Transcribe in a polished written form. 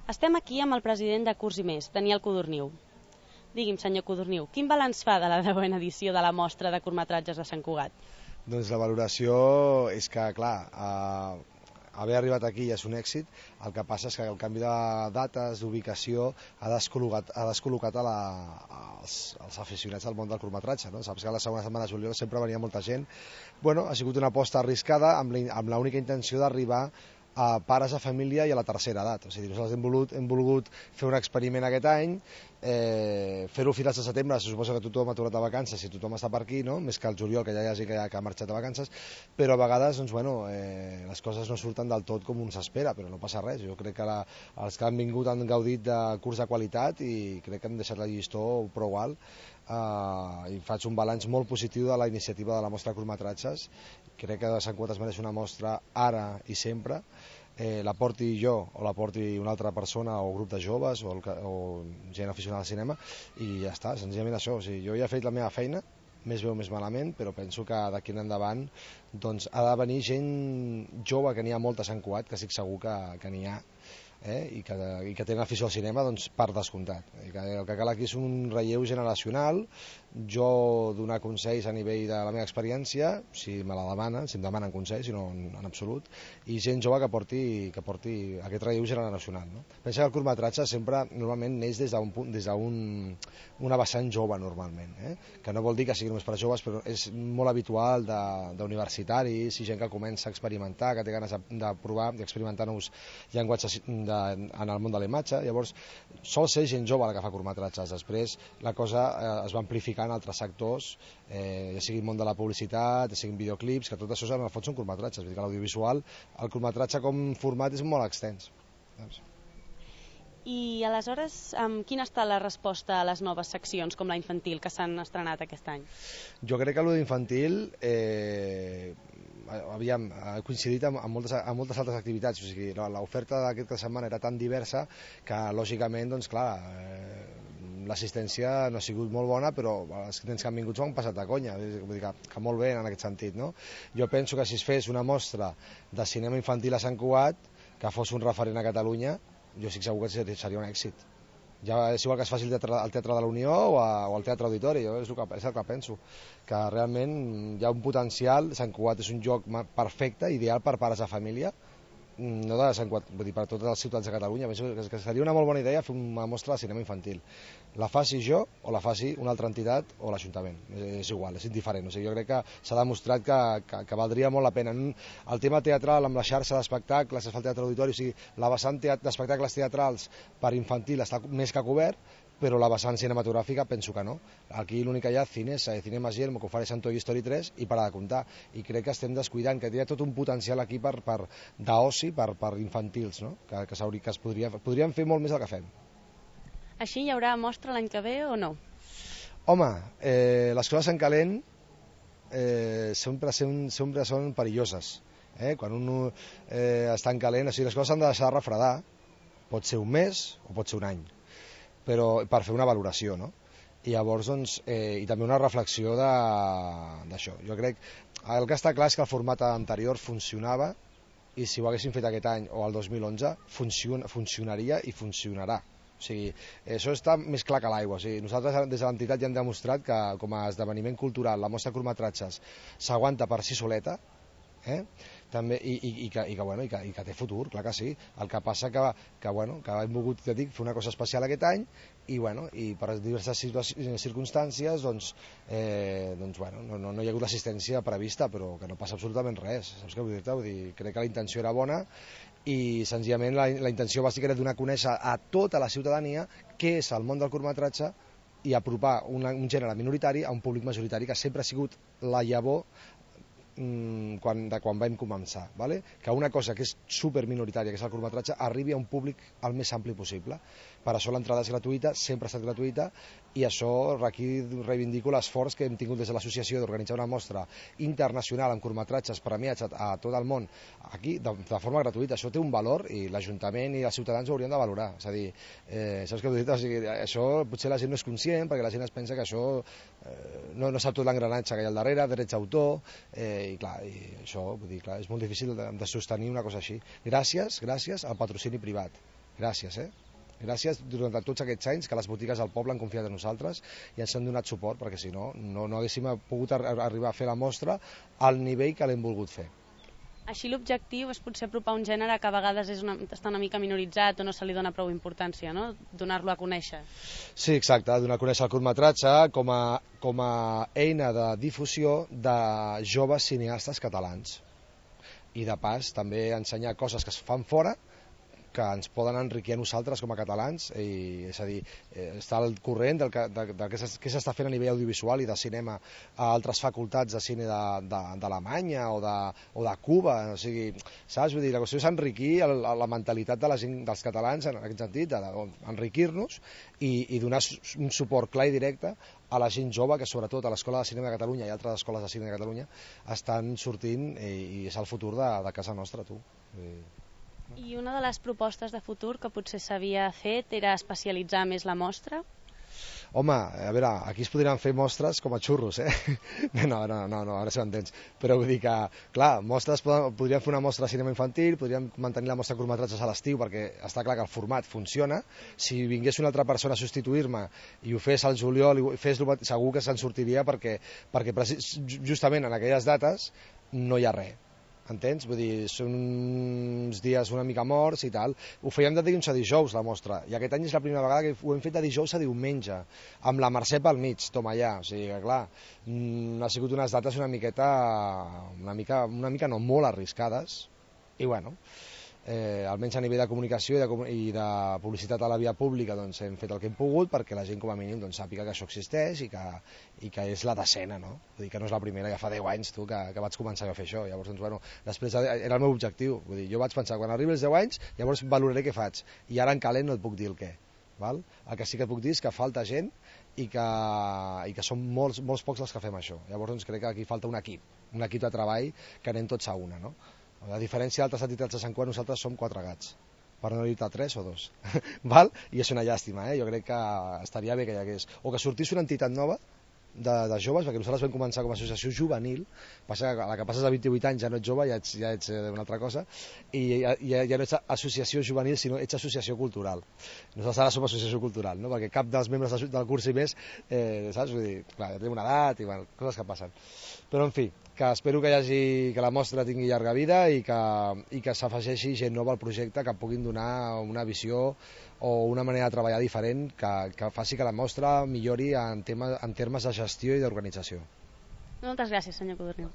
Estem aquí amb el president de Curs i Més, Daniel Codorniu. Digui'm, senyor Codorniu, quin balanç fa de la 10a edició de la mostra de curtmetratges de Sant Cugat? Doncs la valoració és que, clar, haver arribat aquí ja és un èxit. El que passa és que el canvi de dates, d'ubicació, ha descol·locat els aficionats al món del curtmetratge, no? Saps que la segona setmana de juliol sempre venia molta gent. Bueno, ha sigut una aposta arriscada amb l'única intenció d'arribar a pares de família i a la tercera edat. O sigui, nosaltres hem volgut fer un experiment aquest any, fer-ho a finals de setembre. Se suposa que tothom ha tornat de vacances i tothom està per aquí, no? Més que el juliol, que ja hi ha gent que ha marxat de vacances, però a vegades doncs, les coses no surten del tot com un s'espera, però no passa res. Jo crec que els que han vingut han gaudit de curs de qualitat i crec que hem deixat la llistó prou alt. I faig un balanç molt positiu de la iniciativa de la mostra de curtmetratges. Crec que Sant Cugat es mereix una mostra ara i sempre. La porti jo o la porti una altra persona o grup de joves o gent aficionada al cinema i ja està, senzillament això. O sigui, jo ja he fet la meva feina, més bé o més malament, però penso que d'aquí en endavant doncs, ha de venir gent jove, que n'hi ha molta a Sant Cugat, que estic segur que n'hi ha, i que tenen afició al cinema, doncs, per descomptat. El que cal aquí és un relleu generacional. Jo donar consells a nivell de la meva experiència, si me la demanen, si em demanen consells, si no en absolut, i gent jove que porti aquest relleu generacional, no? Pensa que el curtmetratge sempre normalment neix des d'una vessant jove normalment, que no vol dir que sigui només per joves, però és molt habitual d'universitaris i gent que comença a experimentar, que té ganes de provar, d'experimentar nous llenguatges en el món de la imatge. Llavors sol ser gent jove la que fa curtmetratges. Després la cosa es va amplificar en altres sectors, ja sigui el món de la publicitat, ja siguin videoclips, que tot això en el fons són curtmetratges. Vull dir que l'audiovisual, el curtmetratge com format és molt extens. I aleshores, quina està la resposta a les noves seccions com la infantil que s'han estrenat aquest any? Jo crec que l'infantil ha coincidit amb moltes altres activitats. O sigui, l'oferta d'aquesta setmana era tan diversa que lògicament, doncs clar, l'assistència no ha sigut molt bona, però els nens que han vingut s'ho han passat de conya. Vull dir que molt bé en aquest sentit, no? Jo penso que si es fes una mostra de cinema infantil a Sant Cugat, que fos un referent a Catalunya, jo estic segur que seria un èxit. Ja és igual que es faci al Teatre de la Unió o al Teatre Auditori. Jo és el que penso, que realment hi ha un potencial. Sant Cugat és un lloc perfecte, ideal per pares de família, no de Sant Cugat, vull dir, per totes les ciutats de Catalunya. Penso que seria una molt bona idea fer una mostra de cinema infantil. La faci jo o la faci una altra entitat o l'Ajuntament, és igual, és indiferent. O sigui, jo crec que s'ha demostrat que valdria molt la pena. El tema teatral amb la xarxa d'espectacles, es fa el Teatre Auditori, o sigui, la vessant d'espectacles teatrals per infantil està més que cobert, però la vessant cinematogràfica penso que no. Aquí l'únic que hi ha Cinesa i Cinemas Yelmo, que ofereixen Toy Story 3 i para de comptar, i crec que estem descuidant, que hi ha tot un potencial aquí d'oci per infantils, no? que es podrien fer molt més del que fem. Així hi haurà mostra l'any que ve o no? Home, les coses en calent sempre són perilloses. Quan un està en calent, o sigui, les coses s'han de deixar refredar, pot ser un mes o pot ser un any, però per fer una valoració, no? I llavors, doncs, i també una reflexió d'això. Jo crec, el que està clar és que el format anterior funcionava, i si ho haguéssim fet aquest any o el 2011, funcionaria i funcionarà. O sigui, això està més clar que l'aigua. O sigui, nosaltres des de l'entitat ja hem demostrat que com a esdeveniment cultural la mostra de curtmetratges s'aguanta per si soleta, també, i que té futur, clar que sí. El que passa que hem volgut, ja dic, fer una cosa especial aquest any i per diverses circumstàncies no hi ha hagut l'assistència prevista, però que no passa absolutament res. Saps què vull dir-te? Vull dir, crec que la intenció era bona i senzillament la intenció bàsica era donar a conèixer a tota la ciutadania què és el món del curtmetratge i apropar un gènere minoritari a un públic majoritari, que sempre ha sigut la llavor quan vam començar, ¿vale? Que una cosa que és superminoritària, que és el curtmetratge, arribi a un públic el més ampli possible. Per això l'entrada és gratuïta, sempre ha estat gratuïta, i això aquí reivindico l'esforç que hem tingut des de l'associació d'organitzar una mostra internacional amb curtmetratges premiats a tot el món, aquí de forma gratuïta. Això té un valor i l'Ajuntament i els ciutadans ho haurien de valorar. És a dir, saps què vull dir? O sigui, això potser la gent no és conscient, perquè la gent es pensa que això no sap tot l'engranatge que hi ha al darrere, drets d'autor, i clar, això vull dir, clar, és molt difícil de sostenir una cosa així. Gràcies al patrocini privat. Gràcies, Gràcies durant tots aquests anys que les botigues del poble han confiat en nosaltres i ens han donat suport, perquè si no, no haguéssim pogut arribar a fer la mostra al nivell que l'hem volgut fer. Així l'objectiu és potser apropar un gènere que a vegades està una mica minoritzat o no se li dona prou importància, no? Donar-lo a conèixer. Sí, exacte, donar a conèixer el curtmetratge com a eina de difusió de joves cineastes catalans. I de pas també ensenyar coses que es fan fora que ens poden enriquir a nosaltres com a catalans, és a dir, estar al corrent de què s'està fent a nivell audiovisual i de cinema a altres facultats de cine d'Alemanya o de Cuba, o sigui, saps? Vull dir, la qüestió és enriquir la mentalitat de la gent, dels catalans en aquest sentit, enriquir-nos i donar un suport clar i directe a la gent jove que sobretot a l'Escola de Cinema de Catalunya i altres escoles de cine de Catalunya estan sortint i és el futur de casa nostra, tu. I una de les propostes de futur que potser s'havia fet era especialitzar més la mostra? Home, a veure, aquí es podrien fer mostres com a xurros, No, ara se m'entens. Però vull dir que, clar, podríem fer una mostra de cinema infantil, podríem mantenir la mostra de curtmetratges a l'estiu, perquè està clar que el format funciona. Si vingués una altra persona a substituir-me i ho fes al juliol, segur que se'n sortiria perquè justament en aquelles dates no hi ha res. Entens? Vull dir, són uns dies una mica morts i tal. Ho fèiem de dilluns a dijous, la mostra, i aquest any és la primera vegada que ho hem fet de dijous a diumenge, amb la Mercè pel mig, toma allà. O sigui que, clar, ha sigut unes dates una mica no, molt arriscades, i bueno, almenys a nivell de comunicació i de publicitat a la via pública doncs hem fet el que hem pogut perquè la gent com a mínim doncs, sàpiga que això existeix i que és la decena, no? Vull dir que no és la primera, ja fa 10 anys tu, que vaig començar a fer això. Llavors, doncs, bueno, després era el meu objectiu. Vull dir, jo vaig pensar, quan arribi els 10 anys, llavors valoraré què faig. I ara en calent no et puc dir el què. Val? El que sí que et puc dir és que falta gent i que som molts pocs els que fem això. Llavors doncs, crec que aquí falta un equip de treball que anem tots a una, no? A diferència d'altres entitats de Sant Cugat, nosaltres som 4 gats, per no dir-te 3 o 2. Val? I és una llàstima, Jo crec que estaria bé que hi hagués. O que sortís una entitat nova de joves, perquè nosaltres vam començar com a associació juvenil, passa que a la que passes a 28 anys ja no ets jove, ja ets una altra cosa, i ja no ets associació juvenil, sinó ets associació cultural. Nosaltres ara som associació cultural, no? Perquè cap dels membres del curs i més, saps? Vull dir, clar, ja tenim una edat i bueno, coses que passen. Però, en fi, que espero que la mostra tingui llarga vida i que s'afegeixi gent nova al projecte que puguin donar una visió o una manera de treballar diferent que faci que la mostra millori en termes de gestió i d'organització. Moltes gràcies, senyor Codorniu.